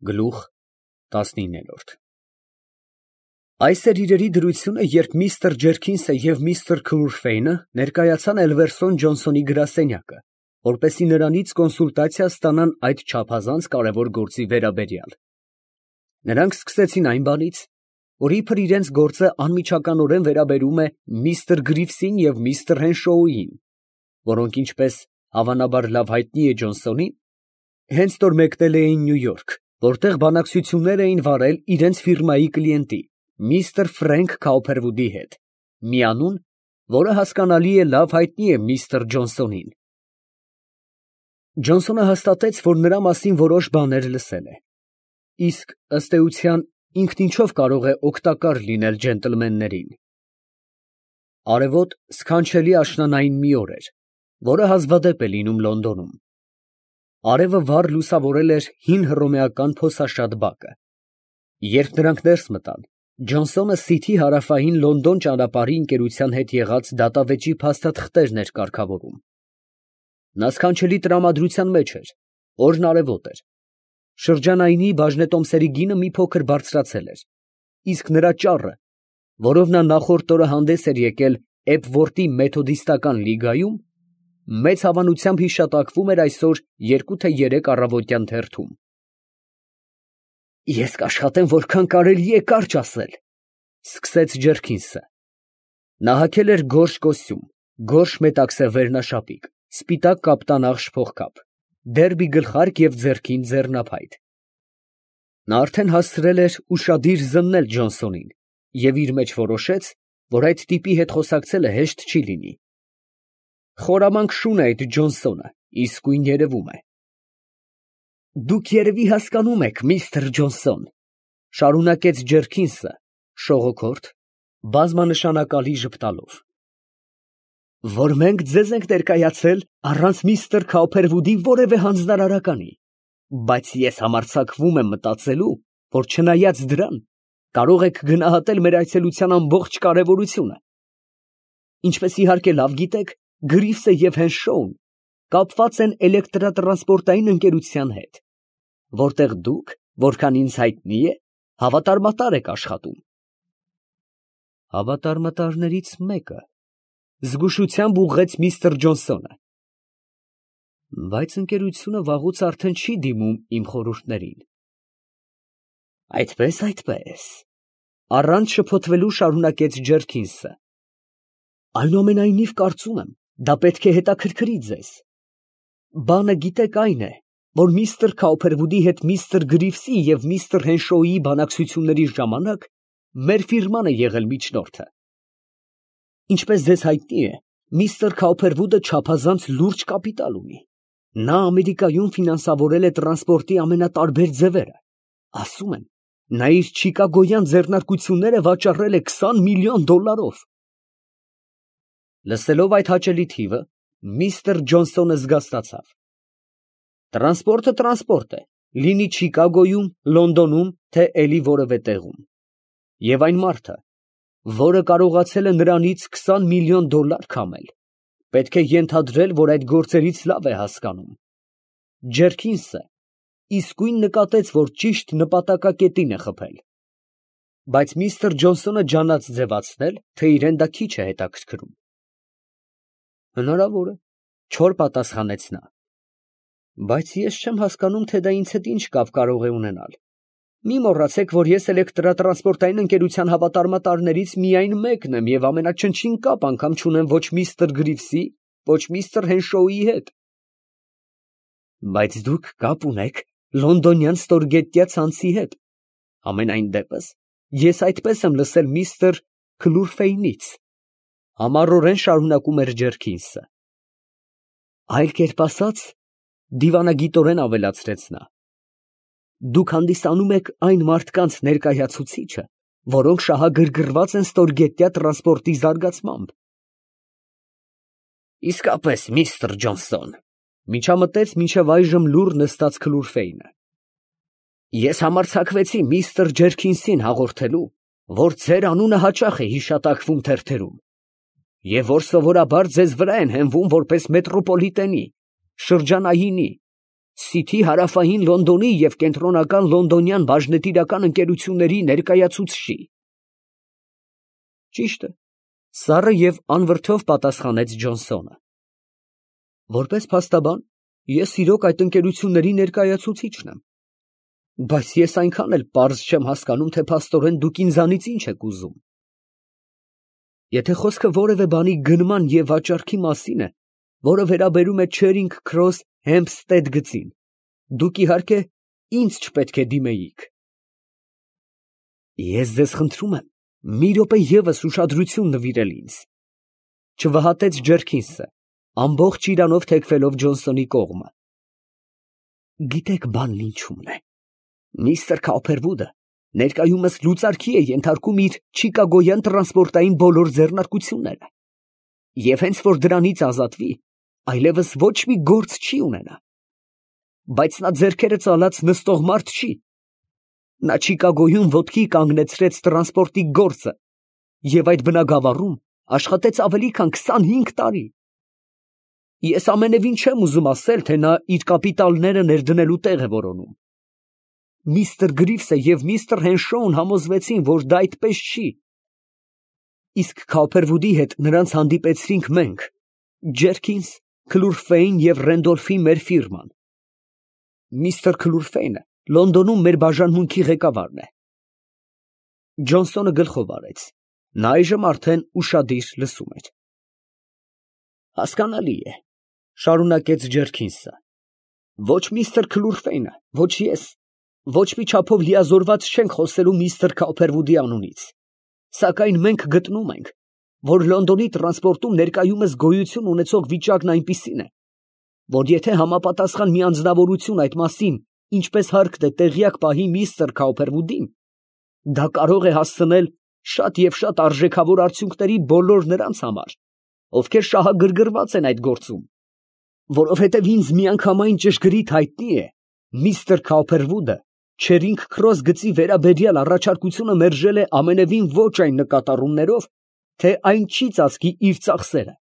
Գլուխ 19 Այս էր իրերի դրությունը, երբ միստր Ջերքինսը և միստր Քլուրֆեյնը ներկայացան Էլվերսոն Ջոնսոնի գրասենյակը, որպեսզի նրանից կոնսուլտացիա ստանան այդ չափազանց կարևոր գործի վերաբերյալ։ Նրանք սկսեցին այն բանից, որ իբր իրենց գործը անմիջականորեն վերաբերում է միստր Գրիվսին և միստր Հենշոուին, որոնք, ինչպես հավանաբար լավ հայտնի է Ջոնսոնին, հենց նոր մեկնել էին Նյու Յորք, որտեղ բանակցություններ էին վարել իրենց ֆիրմայի կլիենտի, միստր Ֆրենք Քաուփերվուդի հետ, մի անուն, որը հասկանալի է լավ հայտնի է միստր Ջոնսոնին։ Ջոնսոնը հաստատեց, որ նրա մասին որոշ բաներ լսել է, իսկ ըստ էության ինքն ինչով կարող է օգտակար լինել ջենտլմեններին։ Արևոտ սքանչելի աշնանային մի օր էր, որը հազվադեպ է լինում Լոնդոնում։ Արևը վառ լուսավորել էր հին հռոմեական փոսաշատ բակը։ Երբ նրանք ներս մտան, Ջոնսոնը Սիթի հարավային Լոնդոն ճանապարհի ընկերության հետ եղած դատավեճի փաստաթղթերն էր կարգավորում։ Նա սքանչելի տրամադրության մեջ էր, օրն արևոտ էր։ Շրջանայինի բաժնետոմսերի գինը մի փոքր բարձրացել էր, իսկ նրա ճառը, որով նա նախորդ օրը հանդես էր եկել Էփվորթի մեթոդիստական լիգայում, մեծ հավանությամբ հիշատակվում էր այսօր 2 թե 3 առավոտյան թերթում։ «Ես կաշխատեմ, որքան կարելի է կարճ ասել», ֊ սկսեց Ջերքինսը։ Նա հագել էր գորշ կոստյում, գորշ մետաքսե վերնաշապիկ, սպիտակ կապտանաղ շփոթկապ, դերբի գլխարկ և ձեռքին ձեռնափայտ։ Նա արդեն հասցրել էր ուշադիր զննել Ջոնսոնին և իր մեջ որոշեց, որ այդ տիպի հետ խոսակցելը հեշտ չի լինի։ Խորամանկ շուն է այդ Ջոնսոնը, իսկույն երևում է։ «Դուք երևի հասկանում եք, միստր Ջոնսոն, ֊ շարունակեց Ջերքինսը շողոքորթ, բազմանշանակալի ժպտալով, ֊ որ մենք ձեզ ենք ներկայացել առանց միստր Քաուփերվուդի որևէ հանձնարարականի, բայց ես համարձակվում եմ մտածելու, որ չնայած դրան, կարող եք գնահատել մեր այցելության ամբողջ կարևորությունը։ Ինչպես իհարկե լավ գիտեք, Գրիվսը և Հենշոուն կապված են էլեկտրատրանսպորտային ընկերության հետ, որտեղ դուք, որքան ինձ հայտնի է, հավատարմատար եք աշխատում։ Հավատարմատարներից մեկը, ֊ զգուշությամբ ուղղեց միստր Ջոնսոնը։ Բայց ընկերությունը վաղուց արդեն չի դիմում իմ խորհուրդներին։ Այդպես, այդպես, ֊ առանց շփոթվելու շարունակեց Ջերքինսը։ Այնուամենայնիվ կարծում եմ, դա պետք է հետաքրքրի ձեզ։ Բանը գիտեք այն է, որ միստր Քաուփերվուդի հետ միստր Գրիվսի և միստր Հենշոուի բանակցությունների ժամանակ մեր ֆիրման է եղել միջնորդը։ Ինչպես ձեզ հայտնի է, միստր Քաուփերվուդը չափազանց լուրջ կապիտալ ունի։ Նա Ամերիկայում ֆինանսավորել է տրանսպորտի ամենատարբեր ձևերը։ Ասում են, նա իր չիկագոյան ձեռնարկությունները վաճառել է $20 միլիոն։ Լսելով այդ հաճելի թիվը, միստր Ջոնսոնը զգաստացավ։ Տրանսպորտը է, լինի Չիկագոյում, Լոնդոնում, թե էլի որևէ տեղում։ Եվ այն մարդը, որը կարողացել է նրանից $20 միլիոն քամել, պետք է ենթադրել, որ այդ գործերից լավ է հասկանում։ Ջերքինսը իսկույն նկատեց, որ ճիշտ նպատակակետին է խփել։ Բայց միստր Ջոնսոնը ջանաց ձևացնել, թե իրեն դա քիչ է հետաքրքրում։ Հնարավոր է, ֊ չոր պատասխանեց նա։ Բայց ես չեմ հասկանում, թե դա ինձ հետ ինչ կապ կարող է ունենալ։ Մի մոռացեք, որ ես էլեկտրատրանսպորտային ընկերության հավատարմատարներից միայն մեկն եմ և ամենաչնչին կապ անգամ չունեմ ոչ միստր Գրիվսի, ոչ միստր Հենշոուի հետ։ Բայց դուք կապ ունեք լոնդոնյան ստորգետնյա ցանցի հետ։ Համենայն դեպս, ես այդպես եմ լսել միստր Քլուրֆեյնից, համառորեն շարունակում էր Ջերքինսը։ Այլ կերպ ասած, դիվանագիտորեն ավելացրեց նա, դուք հանդիսանում եք այն մարդկանց ներկայացուցիչը, որոնք շահագրգռված են ստորգետնյա տրանսպորտի զարգացմամբ։ Իսկապես, միստր Ջոնսոն, ֊ միջամտեց մինչև այժմ լուռ նստած Քլուրֆեյնը, ես համարձակվեցի միստր Ջերքինսին հաղորդելու, որ ձեր անունը հաճախ է հիշատակվում թերթերում, և որ սովորաբար ձեզ վրա են հենվում որպես մետրոպոլիտենի, շրջանայինի, Սիթի հարավային Լոնդոնի և կենտրոնական լոնդոնյան բաժնետիրական ընկերությունների ներկայացուցչի։ Ճիշտ է, սառը և անվրդով պատասխանեց Ջոնսոնը։ Որպես փաստաբան, ես իրոք այդ ընկերությունների ներկայացուցիչն եմ, բայց ես այնքան էլ պարզ չեմ հասկանում, թե փաստորեն դուք ինձանից ինչ եք ուզում։ Եթե խոսքը որևէ բանի գնման և վաճառքի մասին է, որը վերաբերում է Չերինգ Քրոս Հեմփստեդ գծին, դուք իհարկե ինձ չպետք է դիմեիք։ Ես ձեզ խնդրում եմ մի րոպե ևս ուշադրություն նվիրել ինձ, չվհատեց Ջերքինսը, ամբողջ իրանով թեքվելով Ջոնսոնի կողմը։ Գիտեք բանն ինչումն է։ Միստր Քոփերվուդը ներկայումս լուծարքի է ենթարկում իր չիկագոյան տրանսպորտային բոլոր ձեռնարկությունները, և հենց որ դրանից ազատվի, այլևս ոչ մի գործ չի ունենա։ Բայց նա ձեռքերը ծալած նստող մարդ չի։ Նա Չիկագոյում ոտքի կանգնեցրեց տրանսպորտի գործը և այդ բնագավառում աշխատեց ավելի քան 25 տարի։ Ես ամենևին չեմ ուզում ասել, թե նա իր կապիտալները ներդնելու տեղ է որոնում։ Միստր Գրիվսը և միստր Հենշոուն համոզվեցին, որ դա այդպես չի։ Իսկ Քոփերվուդի հետ նրանց հանդիպեցրինք մենք, Ջերքինս, Քլուրֆեյն և Ռենդոլֆի մեր ֆիրման։ Միստր Քլուրֆեյնը Լոնդոնում մեր բաժանմունքի ղեկավարն է։ Ջոնսոնը գլխով արեց. նա այժմ արդեն ուշադիր լսում էր։ Հասկանալի է, շարունակեց Ջերքինսը, ոչ միստր Քլուրֆեյնը, ոչ ես, ոչ մի չափով լիազորված չենք խոսելու միստր Քոփերվուդի անունից, սակայն մենք գտնում ենք, որ Լոնդոնի տրանսպորտում ներկայումս գոյություն ունեցող վիճակն այնպիսին է, որ եթե համապատասխան մի անձնավորություն այդ մասին ինչպես հարկն է տեղյակ պահի միստր Քոփերվուդին, դա կարող է հասցնել շատ և շատ արժեքավոր արդյունքների բոլոր նրանց համար, ովքեր շահագրգռված են այդ գործում, որովհետև ինձ միանգամայն ճշգրիտ հայտնի է, միստր Քոփերվուդը Չերինգ Քրոս գծի վերաբերյալ առաջարկությունը մերժել է ամենևին ոչ այն նկատառումներով, թե այն չի ծածկի իր ծախսերը,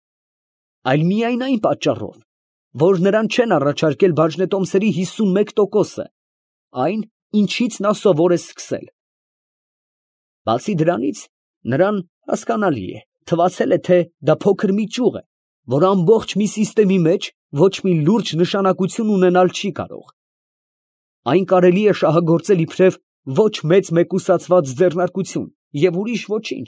այլ միայն այն պատճառով, որ նրան չեն առաջարկել բաժնետոմսերի 51%-ը, այն, ինչից նա սովոր է սկսել։ Բացի դրանից, նրան, հասկանալի է, թվացել է, թե դա փոքր մի ճյուղ է, որ ամբողջ մի սիստեմի մեջ ոչ մի լուրջ նշանակություն ունենալ չի կարող։ Այն կարելի է շահագործել իբրև ոչ մեծ մեկուսացված ձեռնարկություն և ուրիշ ոչինչ,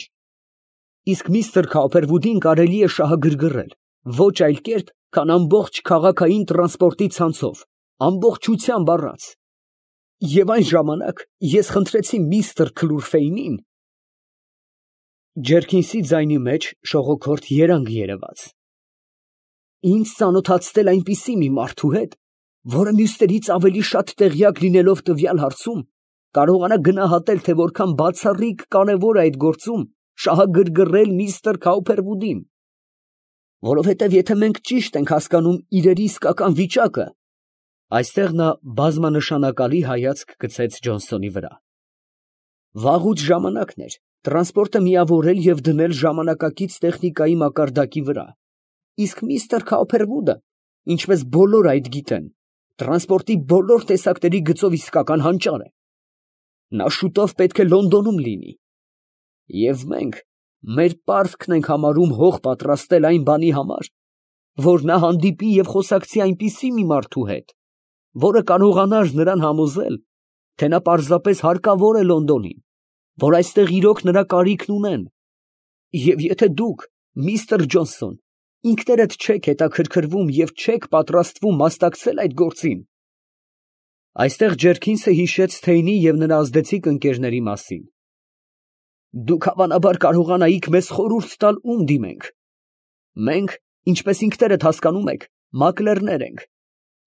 իսկ միստր Քոփերվուդին կարելի է շահագրգռել ոչ այլ կերպ, քան ամբողջ քաղաքային տրանսպորտի ցանցով, ամբողջությամբ առած։ Եվ այն ժամանակ ես խնդրեցի միստր Քլուրֆեյնին… Ջերքինսի ձայնի մեջ շողոքորթ երանգ երևաց։ Ինձ ծանոթացնել այնպիսի մի մարդու հետ, որը մյուսներից ավելի շատ տեղյակ լինելով տվյալ հարցում, կարողանա գնահատել, թե որքան բացառիկ կարևոր է այդ գործում շահագրգռել միստր Քոփերվուդին։ Որովհետև եթե մենք ճիշտ ենք հասկանում իրերի իսկական վիճակը… Այստեղ նա բազմանշանակալի հայացք գցեց Ջոնսոնի վրա։ Վաղուց ժամանակն էր տրանսպորտը միավորել և դնել ժամանակակից տեխնիկայի մակարդակի վրա, իսկ միստր Քոփերվուդը, ինչպես բոլորը այդ գիտեն, տրանսպորտի բոլոր տեսակների գծով իսկական հանճար է։ Նա շուտով պետք է Լոնդոնում լինի, և մենք մեր պարտքն ենք համարում հող պատրաստել այն բանի համար, որ նա հանդիպի և խոսակցի այնպիսի մի մարդու հետ, որը կարողանար նրան համոզել, թե նա պարզապես հարկավոր է Լոնդոնին, որ այստեղ իրոք նրա կարիքն ունեն, և եթե դուք, միստր Ջոնսոն, ինքներդ չեք հետաքրքրվում և չեք պատրաստվում մասնակցել այդ գործին… Այստեղ Ջերքինսը հիշեց Թեյնի և նրա ազդեցիկ ընկերների մասին։ Դուք հավանաբար կարողանայիք մեզ խորհուրդ տալ, ում դիմենք։ Մենք, ինչպես ինքներդ հասկանում եք, մակլերներ ենք։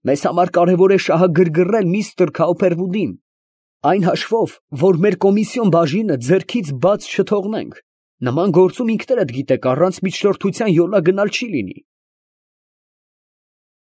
Մեզ համար կարևոր է շահագրգռել միստր Քոփերվուդին, այն հաշվով, որ մեր կոմիսիոն բաժինը ձեռքից բաց չթողնենք։ Նման գործում ինքներդ գիտեք, առանց միջնորդության յոլա գնալ չի լինի։